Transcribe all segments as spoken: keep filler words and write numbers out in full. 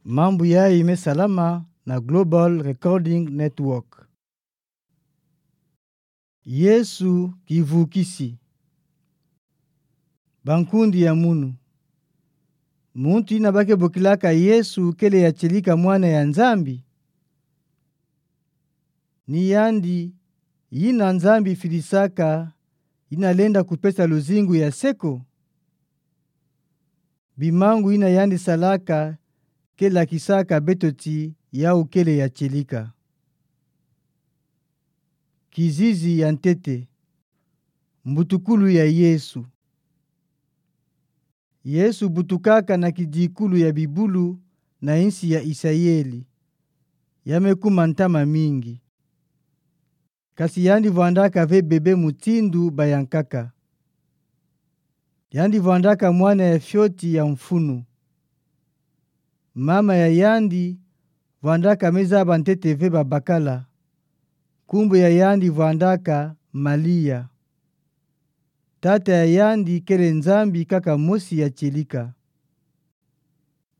Mambu yayi mesalama na Global Recording Network. Yesu kivukisi. Bankundi ya munu, muntu yina bakebokilaka Yesu kele ya tielika Mwana ya Nzambi? Ni yandi yina Nzambi fidisaka, yina lenda kupesa luzingu ya seko? Bimangu yina yandi salaka ke lakisaka beto ti yau kele ya tielika? Kizizi ya ntete. Mbutukulu ya Yesu. Yesu butukaka na kidikulu ya bibulu na yinsi ya Isayeli. Ya mekuma ntama mingi. Kasi yandi vwandaka ve bebe mutindu bayankaka. Yandi vwandaka mwana ya fioti ya mfunu. Mama ya yandi vwandaka mezaba ntete ve babakala. Nkumbu ya yandi vwandaka Malia. Tata ya yandi kele Nzambi kaka mosi ya tielika.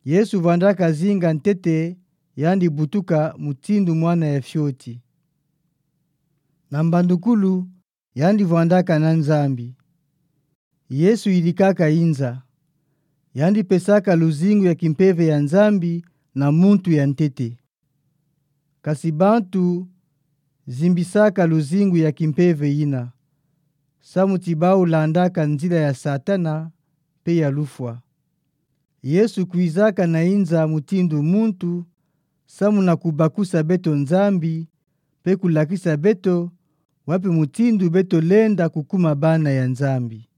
Yesu vwandaka zinga ntete yandi butuka mutindu mwana ya fioti. Na mbandukulu, yandi vwandaka na Nzambi. Yesu yidikaka yinza. Yandi pesaka luzingu ya kimpeve ya Nzambi na muntu ya ntete. Kasi bantu zimbisaka luzingu ya kimpeve yina, samu ti bau landaka nzila ya Satana mpe ya lufwa. Yesu kwizaka na yinza mutindu muntu, samu na kubakusa beto Nzambi, mpe kulakisa beto wapi mutindu beto lenda kukuma bana ya Nzambi.